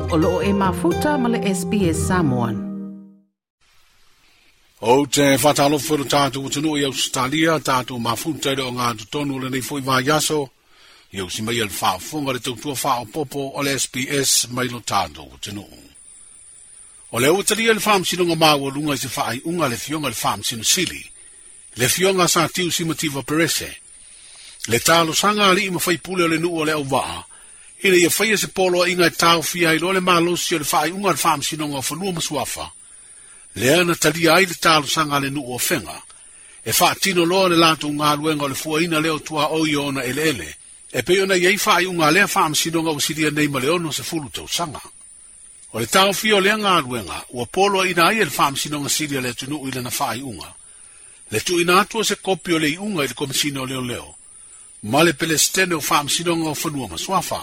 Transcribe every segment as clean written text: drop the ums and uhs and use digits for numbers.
O loo e mafuta ma le SBS Samoan. Ou te whātalofa lo tātou atunuu i Australia, tātou mafuta i le o ngā totonu le nei foi vaiaso, i au si mai el whaafonga le tautua whaopopo o le SBS mai lo tātou atunuu. O le ua talia le whaamsinoga maualuga i se faaiuga le fioga le faamasino sili, le fioga sa tiu simativa perese, le talosaga alii ma faipule o le nuu o le auvaa, ina ia faia se poloaiga e taofia ai loa le malosi o le faaiuga le faamasinoga o fanua ma suafa, lea na talia ai le talosaga a le nuu o Afega, e faatino loa le latou galuega o le fuaina lea o tuaoi o ona eleele, e pei ona iai faaiuga a lea faamasinoga ua silia nei ma le 60 tausaga. O le taofia o lea galuega, ua poloaina ai e le faamasinoga sili a le atunuu i lana faaiuga, le tuuina atu o se kopi o le iuga i le Komesina o Leoleo, ma le Pelesitene o Faamasinoga o Fanua ma Suafa.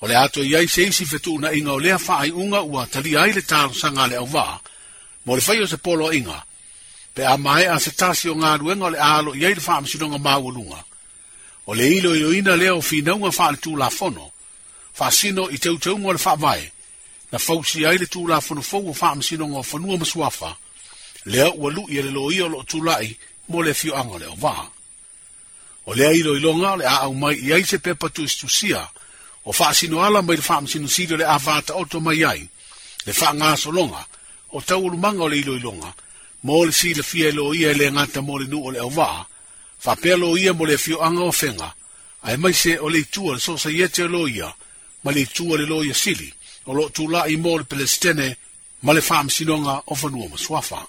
O le ato i ai se isi fetuunaiga o lea faaiuga ua talia ai le talosaga a le auvaa, mo le fai o se poloaiga, pe a maea se tasi o galuega o le alo i ai le faamasinoga maualuga. O le iloiloina lea o finauga faaletulafono, faasino i teuteuga o le faavae, na fausia ai le tulafono fou o faamasinoga o fanua ma suafa, lea ua lui e le loia o loo tulai mo le afioaga o le auvaa. O lea iloiloga o le a aumai i ai se pepa tusitusia o faasino ala mai le faamasino sili o le a fataoto mai ai, le faagasologa o taualumaga o le iloiloga, mo le silafia e loia e le gata mo le nuu o le auvaa, faapea loia mo le afioaga o Afega, aemaise o le itu a le sosaiete o loia, ma le itu a le loia sili, o loo tulai mo le Pelesitene ma le faamasinoga o fanua ma suafa.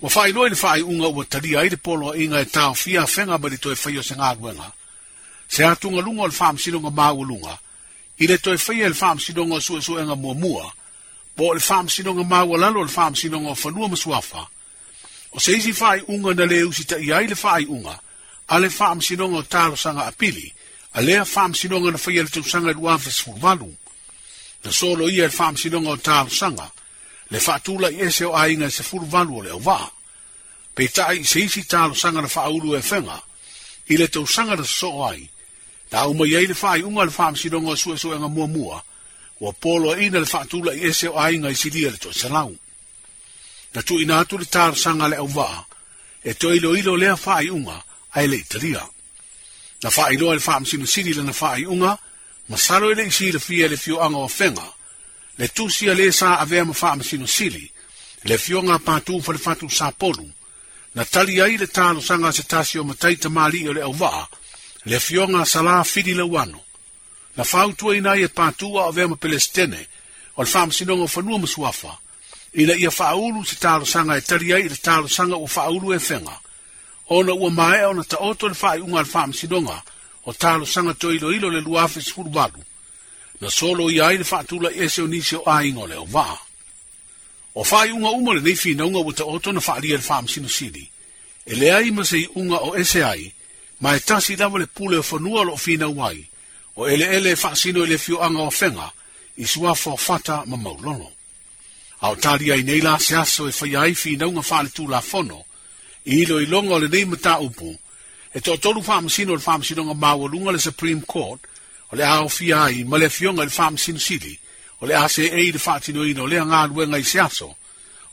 Ua faailoa i le faaiuga ua talia ai le poloaiga e taofia Afega mai le toe faia o se galuega, se atugaluga o le faamasinoga maualuga, i le toe faia e le faamasinoga o suesuega muamua, po o le faamasinoga maualalo o le faamasinoga o fanua ma suafa. O se isi faaiuga na le usitaia ai le faaiuga a le faamasinoga o talosaga apili, a lea faamasinoga na faia le tausaga i 2018. Na solo ia e le faamasinoga o talosaga, le faatulai ese o aiga e 18 o le auvaa. Peitai i se isi talosaga na faaulu e Afega, i le tausaga na sosoo ai, na aumai ai le faaiuga a le faamasinoga o suesuega muamua, ua poloaiina le faatulai ese o aiga i silia le toaselau. Na tuuina atu le talosaga a le auvaa, e toe iloilo lea faaiuga ae le i talia. Na faailoa e le faamasino sili lana faaiuga, masalo e le i silafia e le afioaga o Afega, le tusi a le sa avea ma faamasino sili, le afioga a Patu Falefatu Sapolu, na tali ai le talosaga a se tasi o matai tamalii o le auvaa, le afioga a Sala Fili Lauano. Na fautuaina ai e Patu a o avea ma Pelesitene o le faamasinoga o fanua ma suafa, ina ia faaulu se talosaga e tali ai i le talosaga ua faaulu e Afega, ona ua maea ona taoto le faaiuga a le faamasinoga o talosaga toe iloilo le 2018, na solo ia ai le faatulai ese o nisi o aiga o le auvaa. O faaiuga uma lenei finauga ua taoto na faalia e le faamasino sili, e leai ma se iuga o ese ai, ma e tasi lava le pule o fanua o loo finau ai, o eleele e faasino i le afioaga o Afega, i suafa o Fata ma Maulolo. A o talia ai nei la se aso e faia ai finauga faaletulafono, i iloiloga o lenei mataupu, e toatolu faamasino o le faamasinoga maualuga le Supreme Court, o le a aofia ai ma le afioga i le faamasino sili, o le a seei i le faatinoina o lea galuega i se aso,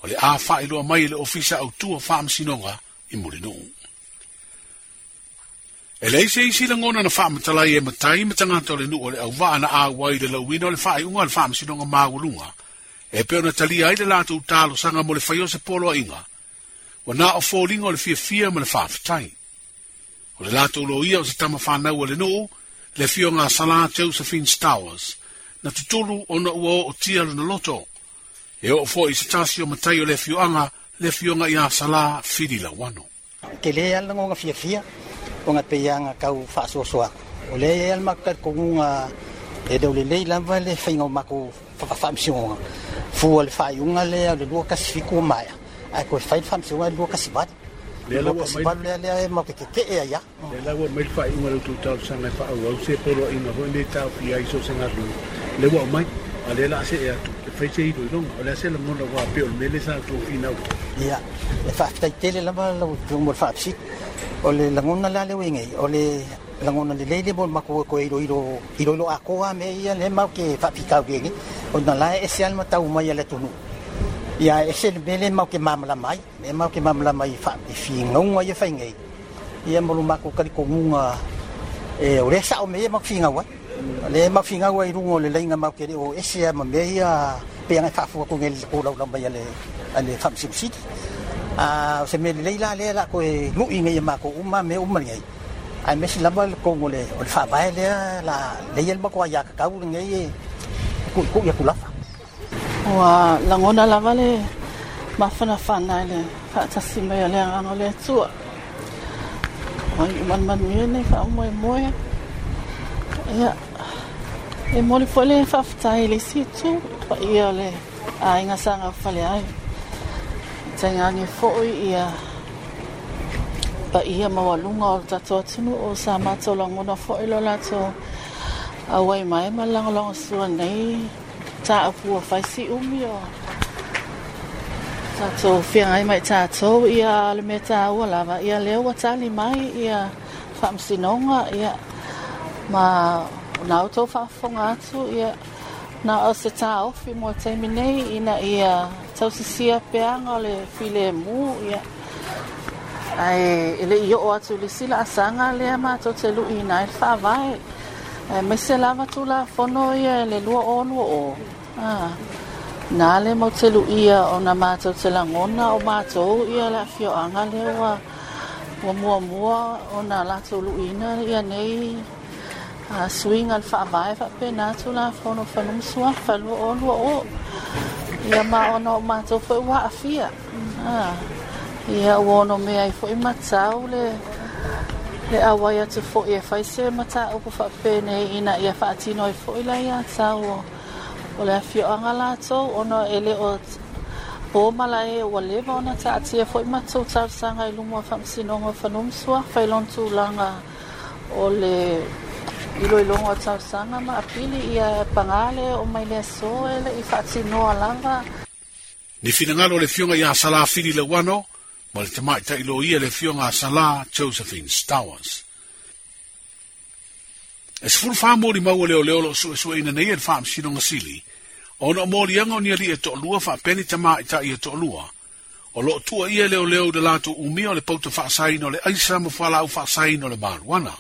o le a faailoa mai e le Ofisa Autu o Faamasinoga i Mulinuu. E leai se isi lagona na faamatala ai e matai ma tagata o le nuu o le auvaa na auai i le lauina o le faaiuga a le faamasinoga maualuga, e pei ona talia ai le latou talosaga mo le faia o se poloaiga, ua na o foliga o le fiafia ma le faafetai. O le latou loia o se tama fanau a le nuu, le afioga a Sala Josephine Stowers, na tutulu ona ua ootia lona loto. E oo foi i se tasi o matai o le afioaga, le afioga ia Sala Fili Lauano. Tele lava le lagoga fiafia ona pei lava na tau faasoasoa atu. O lea e i ai lava le matou talitonuga e le o lelei lava le faiga o matou faamasinoga fua i le faaiuga lea o le 217 ua maea ae toe fai le faamasinoga i le 218. Lea la ua aumai 218 lea e matou te tetee ai lava. Lea la ua aumai le faaiuga a le tou talosaga e faaauau se poloaiga foi lenei e taofia ai so o se galuega. Lea ua aumai, a o lea o le a see atu e fai se iloiloga. O le a se lagona aua pei o le mea lea sa outou finau ai? Ia, e faafetai tele lava lau Afioga mo le faafesili. O le lagona la lea ua i ai nei, o le Lagona lelei le mo le matou o toe iloilo iloilo atoa mea ia lea matou te faafitauli ai nei, ona la e ese lava le matau mai a le atunuu, ia ae ese le mea lea matou te malamalama ai, lea matou te malamalama i i finauga ia e fai nei, ia ma lo matou talitonuga o lea e sao mea ia matou te finau ai. O lea matou te finau ai i luga o le laina matou te le o ese lava ma mea ia pei ona e faafua atu nei i le tolaulau mai a le Faamasino Sili. A o se mea lelei la lea o le a toe lui nei e matou uma mea uma nei, aemaise lava le tonu o le Faavae lea o le a leai le matou aiatatau lenei e tuitui atu lava. Ua lagona lava le mafanafana i le faatasi mai o le Agaga o le Atua. Ua iu manumanuia lenei faamoemoe. Ia, e momoli foi le faafetai i le isi itu, i le paia o le aiga sa gaufale ai. Tainane foi ia paia maualuga o le tatou atunuu sa matou lagona foi lo latou auai mai ma le lagolagosua nei mataupu ua fai si umi o tatou feagai ma i tatou. Ia le mea taua lava, ia lea ua tali mai ia Faamasinoga, ia ma na outou faafofoga atu, ia na o se taofi mo le taimi nei ina ia tausisia peaga o le filemu, ia ae e le i oo atu i le isi laasaga lea matou te luiina ai le Faavae, aemaise lava Tulafono ia i le 2020, a na le matou te luia ona matou te lagona o matou ia le afioaga lea ua muamua ona latou luiina ia nei suiga i le Faavae faapena Tulafono o Fanua ma Suafa 2020, ia ma ona o matou foi ua aafia, ia ua onomea ai foi matau le auai atu foi e fai se mataupu faapenei ina ia faatino ai foi le aiatatau o le afioaga latou, ona e le o po malae ua leva ona taatia foi matou talosaga i luma o Faamasinoga o Fanua ma Suafa i lona tulaga o le iloiloga o talosaga ma apili. Ia paga le oo mai le aso e le i faatinoa lava. Ni finagalo o le Afioga ia Salā Fili Leuano ma le tamaitai loia le Afioga a Salā Josephine Stowers. E 14 molimau a leoleo o lo o suesueina nei e le Faamasinoga Sili ona o moliaga o ni alii e toalua faapea ni tamaitai e toalua o lo o tuuaia e leoleo i le latou umia o le pauta faasaina o le aisa ma fualaau faasaina o le marijuana.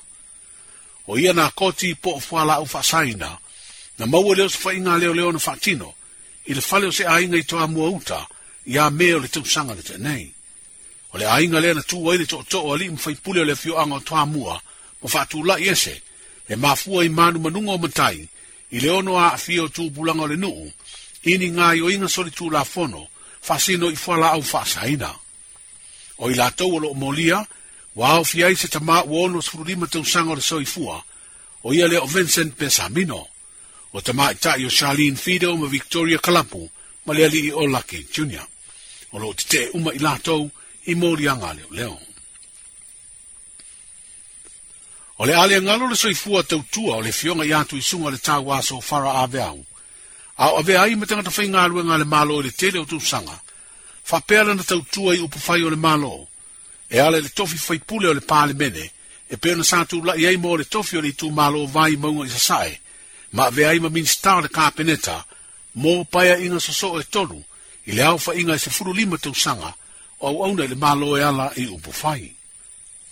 O ia nakoti po o fualaau faasaina na maua i le osofaiga a leoleo na faatino i le fale o se aiga i Toamua Uta ia Me o le tausaga na tea nei. O le aiga lea na tu ai le tootoo o alii ma faipule o le afioaga o Toamua ma faatulai ese e mafua i manumanuga o matai i le ono aafia o tupulaga o le nuu i ni gaoioiga solitulafono faasino i fualaau faasaina. O i latou o lo o molia ua aofia ai se tama ua 65 tausaga o le soifua, o ia lea o Vincent Pesamino, o tamaitai o Charlene Fido ma Victoria Kalapu ma le alii o Lucky Jr. O lo o tetee uma i latou i moliaga a leoleo. O le a le galo le soifua tautua o le Afioga ia Tuisuga le Tauaso Fara Aveau, a o avea ai ma tagata faigaluega a le Malo i le tele o tausaga, faapea lana tautua i upufai o le Malo, e ala i le tofi faipule o le Palemene, e pei ona sa tulai ai mo le tofi o le itumalo Vaimauga i Sasae, ma avea ai ma Minisita o le Kapeneta mo paeaiga sosoo e tolu i le aofaiga e 15 tausaga o auauna i le Malo e ala i upufai.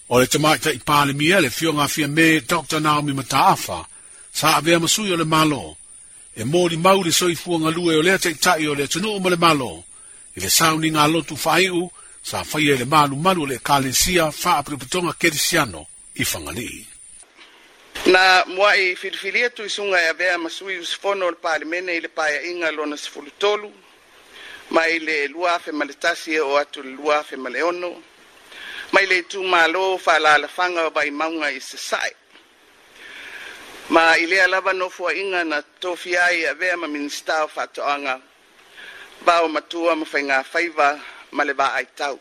O le tamaitai Palemia, le Afioga a Fiame Dr. Naomi Mataafa, sa avea ma sui o le Malo, e molimau le soifua galue o lea taitai o le atunuu ma le Malo, i le sauniga a lotu faaiu sa faia i le malumalu o le Ekalesia Faapotopotoga Kerisiano i Fagalii. Na muai filifilia Tuisuga e avea ma sui usufono o le Palemene i le Paeaiga lona 13, mai le 2001 e oo atu i le 2006, mai le itumalo faaalaalafaga o Vaimauga i Sasae. Ma i lea lava nofoaiga na tofia ai e avea ma Minisita o Faatoaga, Vaomatua ma Faigafaiva ma le Vaaitau.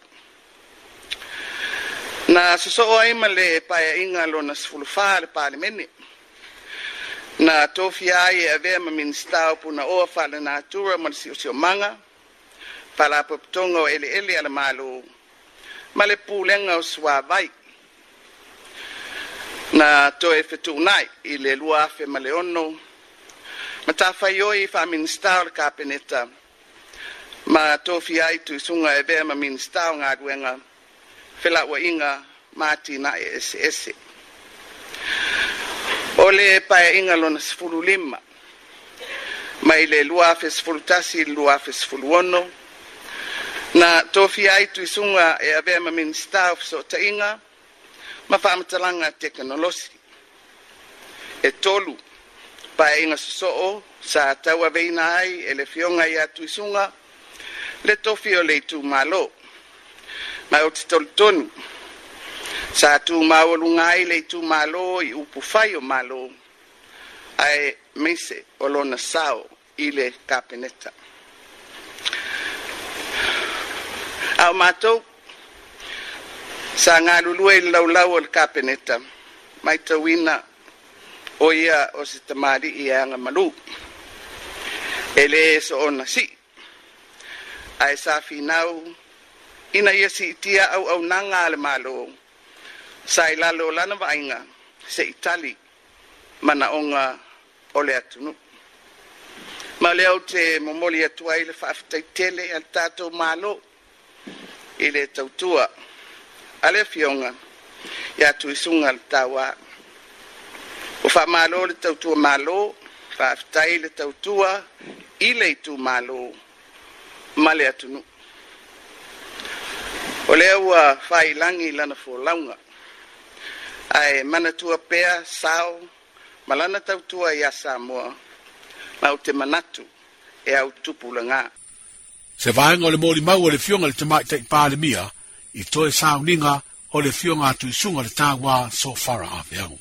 Na sosoo ai ma le Paeaiga lona 14 a le Palemene. Na tofia ai e avea ma Minisita o Punaoa Faalenatura ma le Siosiomaga, Faalapotopotoga o Eleele a le Malo, ma le Pulega o Suavai. Na toe fetuunai i le 2006 matafaioi faa-Minisita o le Kapeneta ma tofia ai Tuisuga e avea ma Minisita o Galuega, Felauaiga ma Atinae Eseese. O le Paeaiga Lona 15, mai le 2011 i le 2016, na tofia ai Tuisuga e avea ma Minisita o Fesootaiga ma Faamatalaga Tekonolosi. E 3 paeaiga sosoo sa tauaveina ai e le Afioga ia Tuisuga le tofi o le itumalo, ma ou te tolitonu sa tumaualuga ai le itumalo i upu fai o Malo, ae meise o lona sao i le Kapeneta. A o matou sa galulue i le laulau o le Kapeneta, matauina o ia o se tamalii e agamalu, e le soona sii, ae sa finau ina ia siitia auaunaga a le Malo sa i lalo o lana vaaiga se i tali manaoga o le atunuu. Ma o lea ou te momoli atu ai le faafetai tele a le tatou Malo i le tautua a le Afioga ia Tuisuga le Taua. Ua faamalo le tautua malo, faafetai le tautua i le itumalo ma le atunuu. O lea ua faiilagi lana folauga, ae manatua pea sao ma lana tautua ia Samoa, ma ou te manatu e au tupulaga. Se vaega o le molimau a le Afioga i le Tamaitai Palemia i toe sauniga o le Afioga a Tuisuga le Taua Sofara Apeau.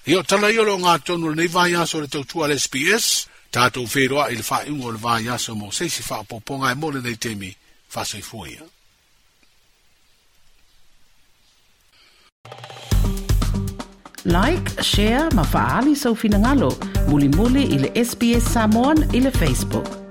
Ia o tala ia o le ogatotonu o lenei vaiaso o le tautua a le SBS, tatou feiloai i le faaiuga o le vaiaso mo se isi faaopoopoga e mo lenei taimi faasoifua ia. Like, share ma faaali sou finagalo mulimuli i le SBS Samoan i le Facebook.